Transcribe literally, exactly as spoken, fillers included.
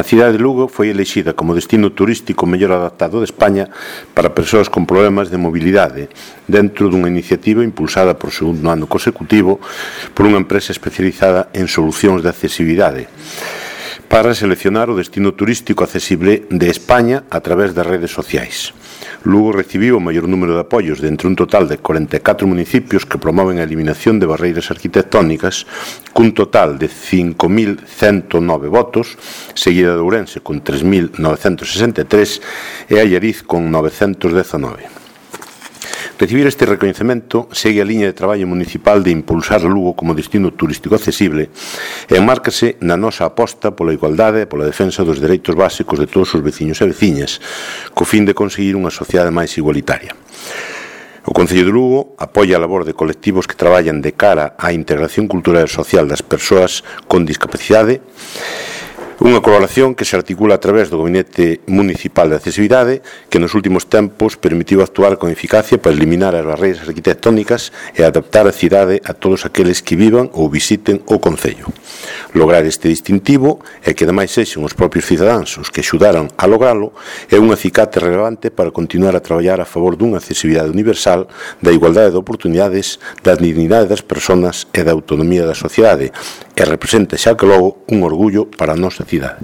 A cidade de Lugo foi elixida como destino turístico mellor adaptado de España para persoas con problemas de mobilidade, dentro dunha iniciativa impulsada por segundo ano consecutivo por unha empresa especializada en solucións de accesibilidade, para seleccionar o destino turístico accesible de España a través das redes sociais. Lugo recibiu o maior número de apoios de entre un total de corenta e catro municipios que promoven a eliminación de barreiras arquitectónicas, cun total de cinco mil cento nove votos, seguida de Ourense con tres mil novecentos sesenta e tres e Allariz con novecentos dezanove. Recibir este recoñecemento segue a liña de traballo municipal de impulsar Lugo como destino turístico accesible e enmárcase na nosa aposta pola igualdade e pola defensa dos dereitos básicos de todos os veciños e veciñas, co fin de conseguir unha sociedade máis igualitaria. O Concello de Lugo apoia a labor de colectivos que traballan de cara á integración cultural e social das persoas con discapacidade, unha colaboración que se articula a través do Gabinete Municipal de Accesibilidade, que nos últimos tempos permitiu actuar con eficacia para eliminar as barreiras arquitectónicas e adaptar a cidade a todos aqueles que vivan ou visiten o Concello. Lograr este distintivo e que ademais sexan os propios cidadáns os que axudaran a logralo é un acicate relevante para continuar a traballar a favor dunha accesibilidade universal, da igualdade de oportunidades, da dignidade das persoas e da autonomía da sociedade, e representa xa que logo un orgullo para a nosa cidade.